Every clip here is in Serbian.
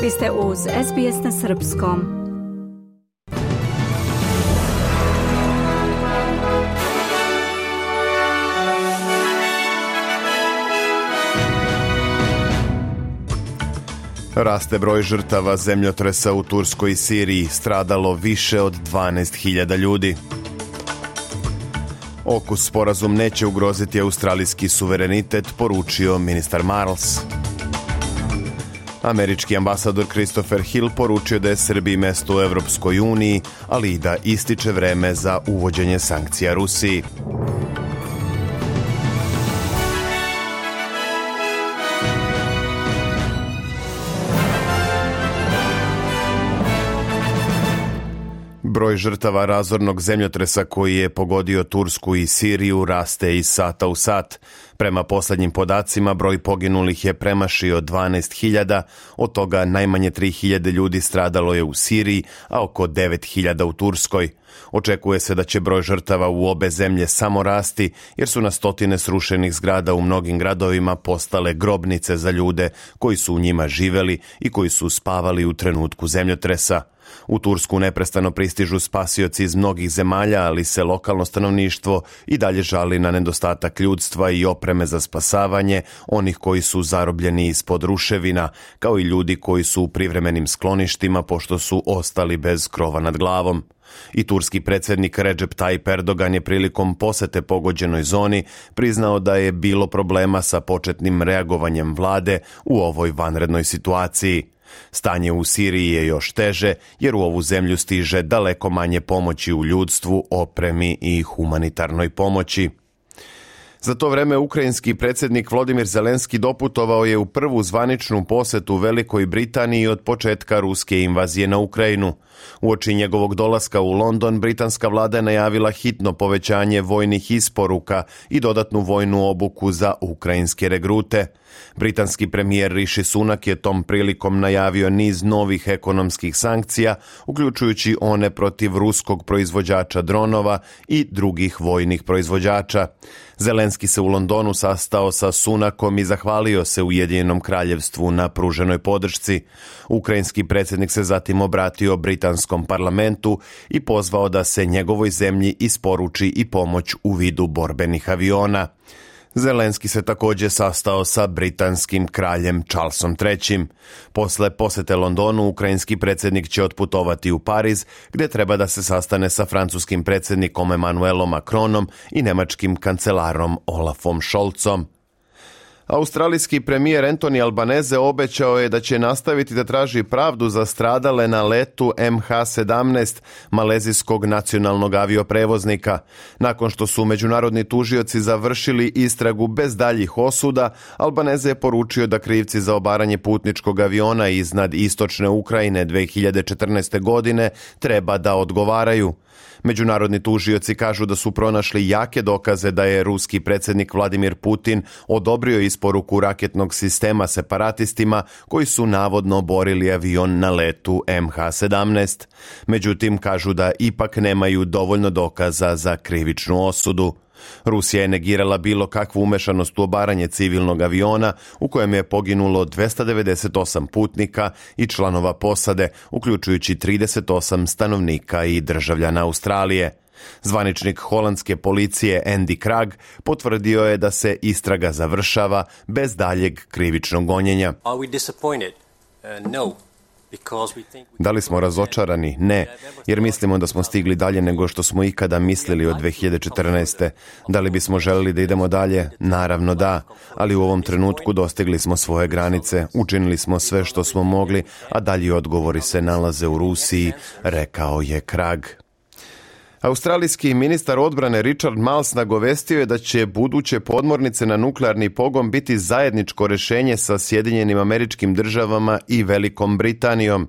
Vi ste uz SBS na srpskom. Raste broj žrtava zemljotresa u Turskoj i Siriji, stradalo više od 12.000 ljudi. AUKUS sporazum neće ugroziti australijski suverenitet, poručio ministar Marles. Američki ambasador Christopher Hill poručio da je Srbiji mesto u Evropskoj uniji, ali i da ističe vreme za uvođenje sankcija Rusiji. Broj žrtava razornog zemljotresa koji je pogodio Tursku i Siriju raste iz sata u sat. Prema posljednjim podacima, broj poginulih je premašio 12.000, od toga najmanje 3.000 ljudi stradalo je u Siriji, a oko 9.000 u Turskoj. Očekuje se da će broj žrtava u obe zemlje samo rasti, jer su na stotine srušenih zgrada u mnogim gradovima postale grobnice za ljude koji su u njima živeli i koji su spavali u trenutku zemljotresa. U Tursku neprestano pristižu spasioci iz mnogih zemalja, ali se lokalno stanovništvo i dalje žali na nedostatak ljudstva i opreme za spasavanje onih koji su zarobljeni ispod ruševina, kao i ljudi koji su u privremenim skloništima pošto su ostali bez krova nad glavom. I turski predsjednik Recep Tayyip Erdogan je prilikom posete pogođenoj zoni priznao da je bilo problema sa početnim reagovanjem vlade u ovoj vanrednoj situaciji. Stanje u Siriji je još teže jer u ovu zemlju stiže daleko manje pomoći u ljudstvu, opremi i humanitarnoj pomoći. Za to vreme ukrajinski predsjednik Volodymyr Zelenski doputovao je u prvu zvaničnu posetu Velikoj Britaniji od početka ruske invazije na Ukrajinu. Uoči njegovog dolaska u London, britanska vlada je najavila hitno povećanje vojnih isporuka i dodatnu vojnu obuku za ukrajinske regrute. Britanski premijer Rishi Sunak je tom prilikom najavio niz novih ekonomskih sankcija, uključujući one protiv ruskog proizvođača dronova i drugih vojnih proizvođača. Zelenski se u Londonu sastao sa Sunakom i zahvalio se Ujedinjenom kraljevstvu na pruženoj podršci. Ukrajinski predsjednik se zatim obratio britanskom parlamentu i pozvao da se njegovoj zemlji isporuči i pomoć u vidu borbenih aviona. Zelenski se također sastao sa britanskim kraljem Charlesom III. Posle posete Londonu, ukrajinski predsjednik će otputovati u Pariz, gdje treba da se sastane sa francuskim predsjednikom Emmanuelom Macronom i nemačkim kancelarom Olafom Scholzom. Australijski premijer Anthony Albanese obećao je da će nastaviti da traži pravdu za stradale na letu MH17 malezijskog nacionalnog avioprevoznika. Nakon što su međunarodni tužioci završili istragu bez daljih osuda, Albanese je poručio da krivci za obaranje putničkog aviona iznad istočne Ukrajine 2014. godine treba da odgovaraju. Međunarodni tužioci kažu da su pronašli jake dokaze da je ruski predsjednik Vladimir Putin odobrio isporuku raketnog sistema separatistima koji su navodno oborili avion na letu MH17. Međutim, kažu da ipak nemaju dovoljno dokaza za krivičnu osudu. Rusija je negirala bilo kakvu umešanost u obaranje civilnog aviona u kojem je poginulo 298 putnika i članova posade, uključujući 38 stanovnika i državljana Australije. Zvaničnik holandske policije Andy Krag potvrdio je da se istraga završava bez daljeg krivičnog gonjenja. Are we disappointed? No. Da li smo razočarani? Ne, jer mislimo da smo stigli dalje nego što smo ikada mislili od 2014. Da li bismo želeli da idemo dalje? Naravno da, ali u ovom trenutku dostigli smo svoje granice, učinili smo sve što smo mogli, a dalji odgovori se nalaze u Rusiji, rekao je Krag. Australijski ministar odbrane Richard Marles nagovestio je da će buduće podmornice na nuklearni pogon biti zajedničko rješenje sa Sjedinjenim Američkim Državama i Velikom Britanijom.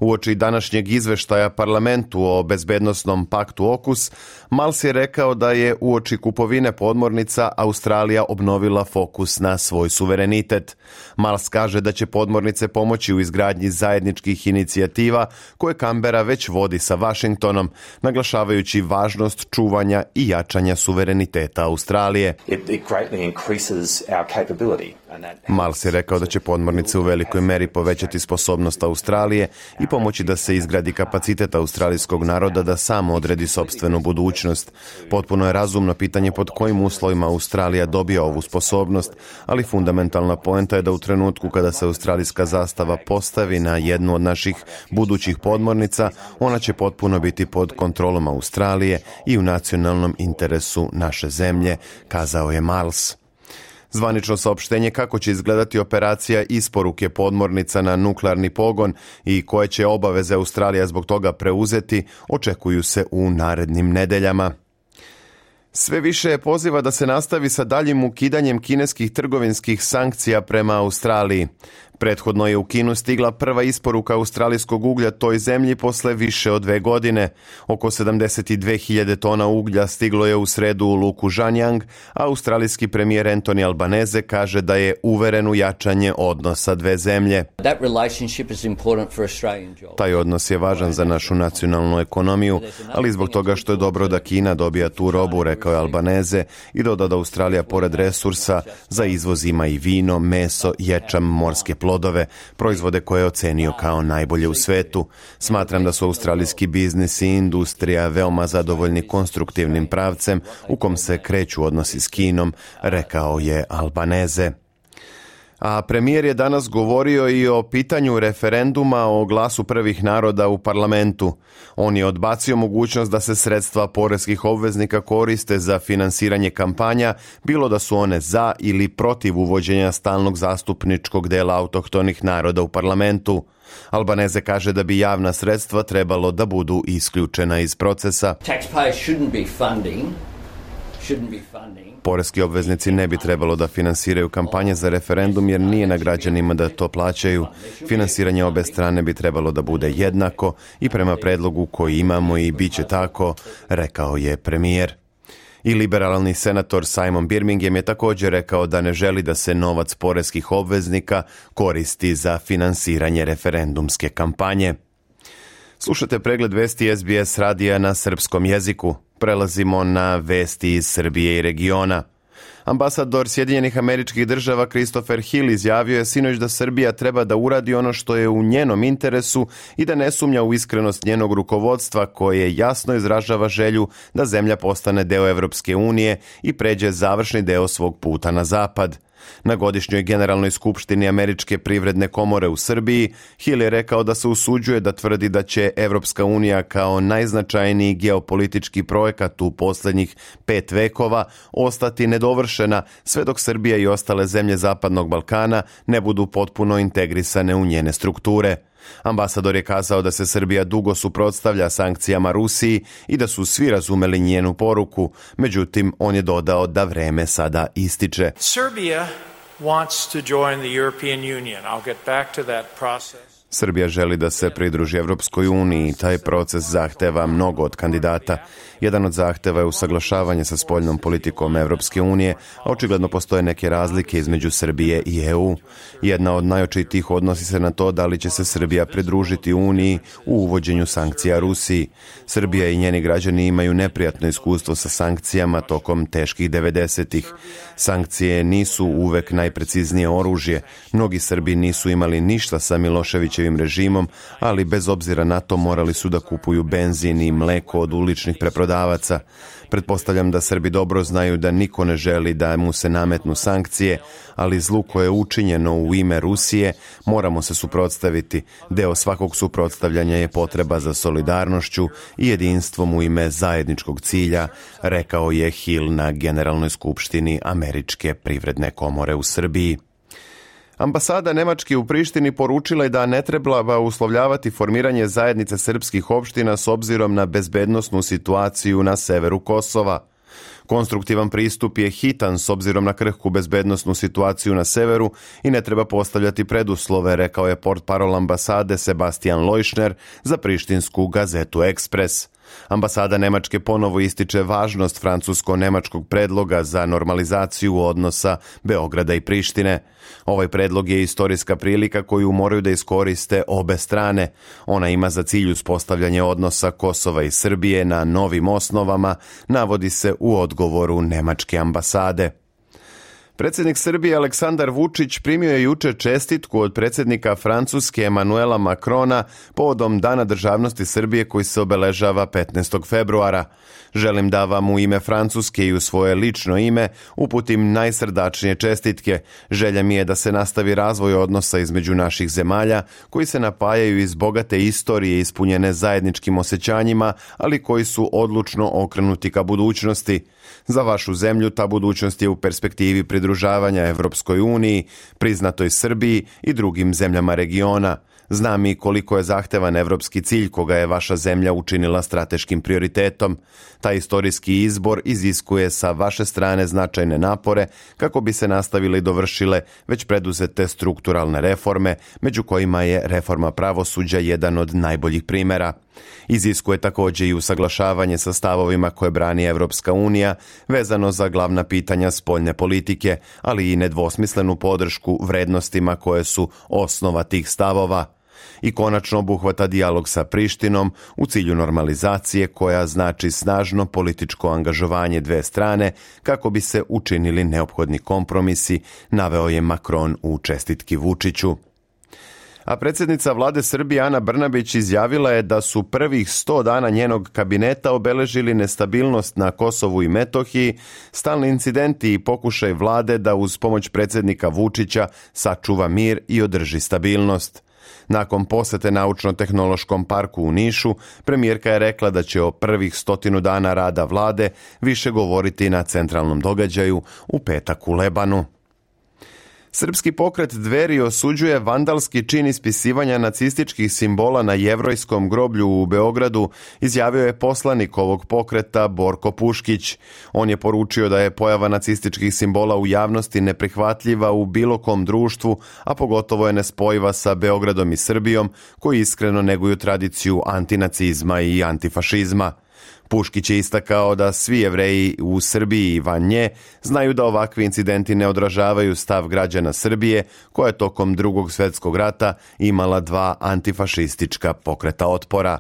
Uoči današnjeg izveštaja parlamentu o bezbednosnom paktu AUKUS, Marles je rekao da je uoči kupovine podmornica Australija obnovila fokus na svoj suverenitet. Marles kaže da će podmornice pomoći u izgradnji zajedničkih inicijativa koje Canberra već vodi sa Washingtonom, naglašavajući važnost čuvanja i jačanja suvereniteta Australije. It greatly increases our capability Miles je rekao da će podmornice u velikoj meri povećati sposobnost Australije i pomoći da se izgradi kapacitet australijskog naroda da sam odredi sopstvenu budućnost. Potpuno je razumno pitanje pod kojim uslovima Australija dobija ovu sposobnost, ali fundamentalna poenta je da u trenutku kada se australijska zastava postavi na jednu od naših budućih podmornica, ona će potpuno biti pod kontrolom Australije i u nacionalnom interesu naše zemlje, kazao je Miles. Zvanično saopštenje kako će izgledati operacija isporuke podmornica na nuklearni pogon i koje će obaveze Australija zbog toga preuzeti, očekuju se u narednim nedeljama. Sve više je poziva da se nastavi sa daljim ukidanjem kineskih trgovinskih sankcija prema Australiji. Prethodno je u Kinu stigla prva isporuka australijskog uglja toj zemlji posle više od 2 godine. Oko 72.000 tona uglja stiglo je u sredu u luku Zhanyang, a australijski premijer Anthony Albanese kaže da je uveren u jačanje odnosa dve zemlje. Taj odnos je važan za našu nacionalnu ekonomiju, ali zbog toga što je dobro da Kina dobija tu robu, rekao je Albanese, i doda da Australija pored resursa za izvoz ima i vino, meso, ječam, morske plodove, proizvode koje je ocenio kao najbolje u svetu. Smatram da su australijski biznis i industrija veoma zadovoljni konstruktivnim pravcem u kom se kreću odnosi s Kinom, rekao je Albanese. A premijer je danas govorio i o pitanju referenduma o glasu prvih naroda u parlamentu. On je odbacio mogućnost da se sredstva poreskih obveznika koriste za finansiranje kampanja, bilo da su one za ili protiv uvođenja stalnog zastupničkog dela autohtonih naroda u parlamentu. Albanese kaže da bi javna sredstva trebalo da budu isključena iz procesa. Poreski obveznici ne bi trebalo da finansiraju kampanje za referendum jer nije na građanima da to plaćaju. Finansiranje obe strane bi trebalo da bude jednako i prema predlogu koji imamo i bit će tako, rekao je premijer. I liberalni senator Simon Birmingham je također rekao da ne želi da se novac poreskih obveznika koristi za finansiranje referendumske kampanje. Slušate pregled vesti SBS radija na srpskom jeziku. Prelazimo na vesti iz Srbije i regiona. Ambasador Sjedinjenih Američkih Država Christopher Hill izjavio je sinoć da Srbija treba da uradi ono što je u njenom interesu i da ne sumnja u iskrenost njenog rukovodstva koje jasno izražava želju da zemlja postane deo Evropske unije i pređe završni deo svog puta na zapad. Na godišnjoj generalnoj skupštini Američke privredne komore u Srbiji, Hill je rekao da se usuđuje da tvrdi da će Evropska unija kao najznačajniji geopolitički projekat u posljednjih 5 vekova ostati nedovršena sve dok Srbija i ostale zemlje Zapadnog Balkana ne budu potpuno integrisane u njene strukture. Ambasador je kazao da se Srbija dugo suprotstavlja sankcijama Rusiji i da su svi razumeli njenu poruku, međutim on je dodao da vreme sada ističe. Serbia wants to join the European Union. I'll get back to that process. Srbija želi da se pridruži Evropskoj uniji i taj proces zahteva mnogo od kandidata. Jedan od zahteva je usaglašavanje sa spoljnom politikom Evropske unije, a očigledno postoje neke razlike između Srbije i EU. Jedna od najočitijih odnosi se na to da li će se Srbija pridružiti uniji u uvođenju sankcija Rusiji. Srbija i njeni građani imaju neprijatno iskustvo sa sankcijama tokom teških 90-ih. Sankcije nisu uvek najpreciznije oružje. Mnogi Srbi nisu imali ništa sa Miloševićevim režimom, ali bez obzira na to morali su da kupuju benzin i mleko od uličnih preprodavaca. Pretpostavljam da Srbi dobro znaju da niko ne želi da mu se nametnu sankcije, ali zlu koje je učinjeno u ime Rusije moramo se suprotstaviti. Deo svakog suprotstavljanja je potreba za solidarnošću i jedinstvom u ime zajedničkog cilja, rekao je Hill na Generalnoj skupštini Američke privredne komore u Srbiji. Ambasada Nemačke u Prištini poručila je da ne treba uslovljavati formiranje zajednice srpskih opština s obzirom na bezbednosnu situaciju na severu Kosova. Konstruktivan pristup je hitan s obzirom na krhku bezbednosnu situaciju na severu i ne treba postavljati preduslove, rekao je portparol ambasade Sebastian Leuschner za prištinsku gazetu Ekspres. Ambasada Nemačke ponovo ističe važnost francusko-nemačkog predloga za normalizaciju odnosa Beograda i Prištine. Ovaj predlog je istorijska prilika koju moraju da iskoriste obe strane. Ona ima za cilj uspostavljanje odnosa Kosova i Srbije na novim osnovama, navodi se u odgovoru nemačke ambasade. Predsjednik Srbije Aleksandar Vučić primio je jučer čestitku od predsjednika Francuske Emanuela Macrona povodom Dana državnosti Srbije koji se obeležava 15. februara. Želim da vam u ime Francuske i u svoje lično ime uputim najsrdačnije čestitke. Želja mi je da se nastavi razvoj odnosa između naših zemalja koji se napajaju iz bogate istorije ispunjene zajedničkim osjećanjima, ali koji su odlučno okrenuti ka budućnosti. Za vašu zemlju ta budućnost je u perspektivi pridružavanja Evropskoj uniji, priznatoj Srbiji i drugim zemljama regiona. Znam i koliko je zahtevan evropski cilj koga je vaša zemlja učinila strateškim prioritetom. Taj istorijski izbor iziskuje sa vaše strane značajne napore kako bi se nastavile i dovršile već preduzete strukturalne reforme, među kojima je reforma pravosuđa jedan od najboljih primjera. Iziskuje također i usaglašavanje sa stavovima koje brani Evropska unija vezano za glavna pitanja spoljne politike, ali i nedvosmislenu podršku vrednostima koje su osnova tih stavova. I konačno obuhvata dijalog sa Prištinom u cilju normalizacije koja znači snažno političko angažovanje dve strane kako bi se učinili neophodni kompromisi, naveo je Macron u čestitki Vučiću. A predsjednica vlade Srbije Ana Brnabić izjavila je da su prvih 100 dana njenog kabineta obeležili nestabilnost na Kosovu i Metohiji, stalni incidenti i pokušaj vlade da uz pomoć predsjednika Vučića sačuva mir i održi stabilnost. Nakon posete Naučno-tehnološkom parku u Nišu, premijerka je rekla da će o prvih 100 dana rada vlade više govoriti na centralnom događaju u petak u Lebanu. Srpski pokret Dveri osuđuje vandalski čin ispisivanja nacističkih simbola na Jevrojskom groblju u Beogradu, izjavio je poslanik ovog pokreta Borko Puškić. On je poručio da je pojava nacističkih simbola u javnosti neprihvatljiva u bilo kom društvu, a pogotovo je nespojiva sa Beogradom i Srbijom, koji iskreno neguju tradiciju antinacizma i antifašizma. Puškić je istakao da svi Jevreji u Srbiji i van nje znaju da ovakvi incidenti ne odražavaju stav građana Srbije, koja je tokom Drugog svjetskog rata imala 2 antifašistička pokreta otpora.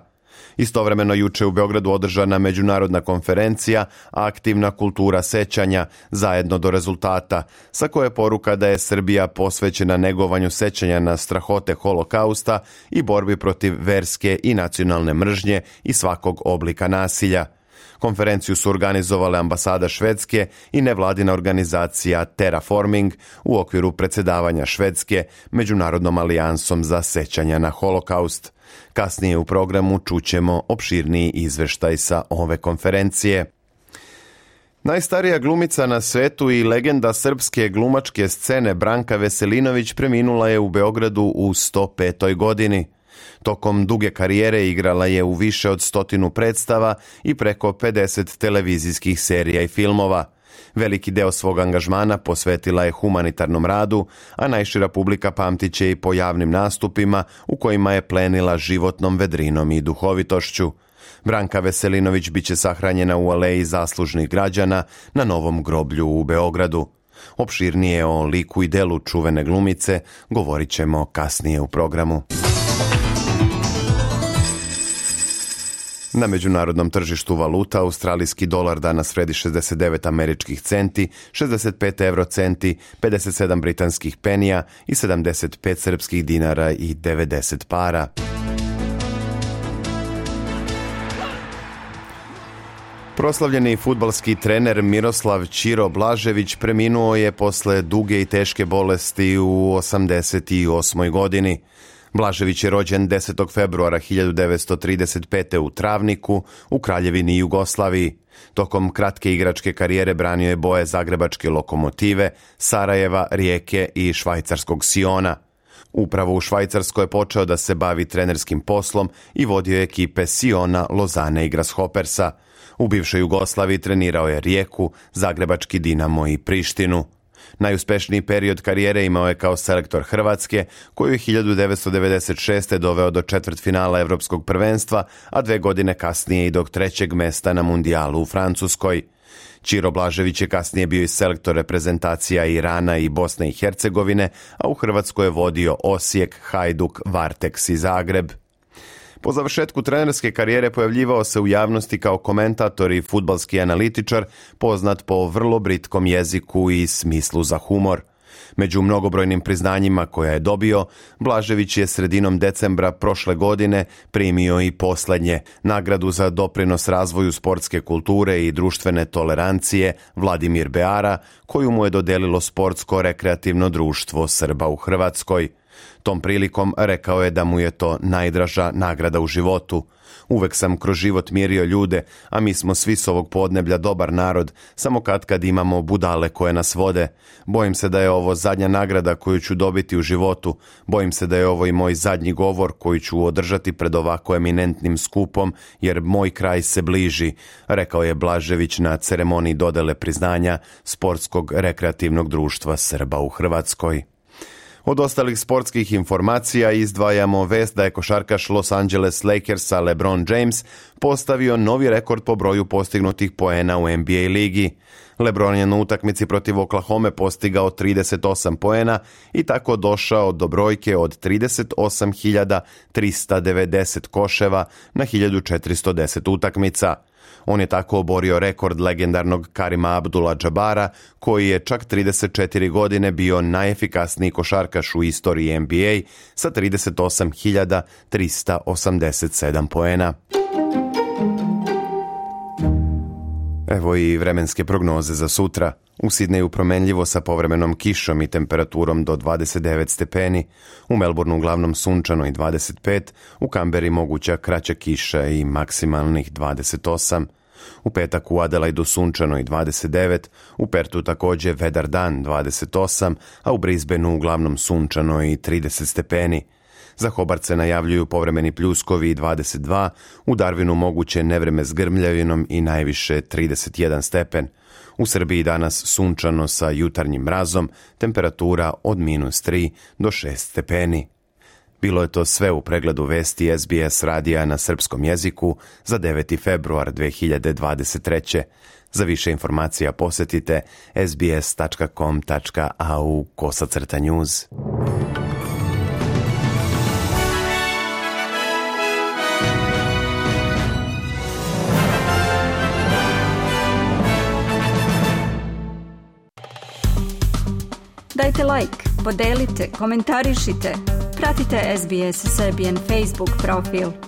Istovremeno juče u Beogradu održana međunarodna konferencija Aktivna kultura sećanja, zajedno do rezultata, sa koje je poruka da je Srbija posvećena negovanju sećanja na strahote holokausta i borbi protiv verske i nacionalne mržnje i svakog oblika nasilja. Konferenciju su organizovale ambasada Švedske i nevladina organizacija Terraforming u okviru predsjedavanja Švedske Međunarodnom alijansom za sećanja na holokaust. Kasnije u programu čućemo opširniji izveštaj sa ove konferencije. Najstarija glumica na svetu i legenda srpske glumačke scene Branka Veselinović preminula je u Beogradu u 105. godini. Tokom duge karijere igrala je u više od 100 predstava i preko 50 televizijskih serija i filmova. Veliki deo svog angažmana posvetila je humanitarnom radu, a najšira publika pamtit će i po javnim nastupima u kojima je plenila životnom vedrinom i duhovitošću. Branka Veselinović biće sahranjena u aleji zaslužnih građana na Novom groblju u Beogradu. Opširnije o liku i delu čuvene glumice govorit ćemo kasnije u programu. Na međunarodnom tržištu valuta australijski dolar danas vredi 69 američkih centi, 65 eurocenti, 57 britanskih penija i 75 srpskih dinara i 90 para. Proslavljeni fudbalski trener Miroslav Ćiro Blažević preminuo je posle duge i teške bolesti u 88. godini. Blažević je rođen 10. februara 1935. u Travniku, u Kraljevini Jugoslaviji. Tokom kratke igračke karijere branio je boje zagrebačke Lokomotive, Sarajeva, Rijeke i švajcarskog Siona. Upravo u Švajcarskoj je počeo da se bavi trenerskim poslom i vodio je ekipe Siona, Lozane i Grasshoppersa. U bivšoj Jugoslaviji trenirao je Rijeku, zagrebački Dinamo i Prištinu. Najuspešniji period karijere imao je kao selektor Hrvatske, koju je 1996. doveo do četvrtfinala Evropskog prvenstva, a 2 godine kasnije i do 3. mesta na mundijalu u Francuskoj. Ćiro Blažević je kasnije bio i selektor reprezentacija Irana i Bosne i Hercegovine, a u Hrvatskoj je vodio Osijek, Hajduk, Varteks i Zagreb. Po završetku trenerske karijere pojavljivao se u javnosti kao komentator i fudbalski analitičar, poznat po vrlo britkom jeziku i smislu za humor. Među mnogobrojnim priznanjima koja je dobio, Blažević je sredinom decembra prošle godine primio i posljednje, nagradu za doprinos razvoju sportske kulture i društvene tolerancije Vladimir Beara, koju mu je dodelilo Sportsko-rekreativno društvo Srba u Hrvatskoj. Tom prilikom rekao je da mu je to najdraža nagrada u životu. Uvek sam kroz život mirio ljude, a mi smo svi s ovog podneblja dobar narod, samo kad imamo budale koje nas vode. Bojim se da je ovo zadnja nagrada koju ću dobiti u životu. Bojim se da je ovo i moj zadnji govor koji ću održati pred ovako eminentnim skupom, jer moj kraj se bliži, rekao je Blažević na ceremoniji dodele priznanja Sportskog rekreativnog društva Srba u Hrvatskoj. Od ostalih sportskih informacija izdvajamo vest da je košarkaš Los Angeles Lakersa LeBron James postavio novi rekord po broju postignutih poena u NBA ligi. LeBron je na utakmici protiv Oklahome postigao 38 poena i tako došao do brojke od 38.390 koševa na 1410 utakmica. On je tako oborio rekord legendarnog Karima Abdul-Jabara, koji je čak 34 godine bio najefikasniji košarkaš u istoriji NBA sa 38.387 poena. Evo i vremenske prognoze za sutra. U Sidneju promenljivo sa povremenom kišom i temperaturom do 29 stepeni, u Melbourneu uglavnom sunčano i 25, u Kamberi moguća kraća kiša i maksimalnih 28. U petak u Adelaidu sunčano i 29, u Pertu također vedar dan 28, a u Brisbaneu uglavnom sunčano i 30 stepeni. Za Hobart se najavljuju povremeni pljuskovi i 22, u Darwinu moguće nevreme s grmljavinom i najviše 31 stepen. U Srbiji danas sunčano sa jutarnjim mrazom, temperatura od -3 do 6 stepeni. Bilo je to sve u pregledu vesti SBS radija na srpskom jeziku za 9. februar 2023. Za više informacija posjetite sbs.com.au/news. Dajte like, podelite, komentarišite. Pratite SBS Serbian Facebook profil.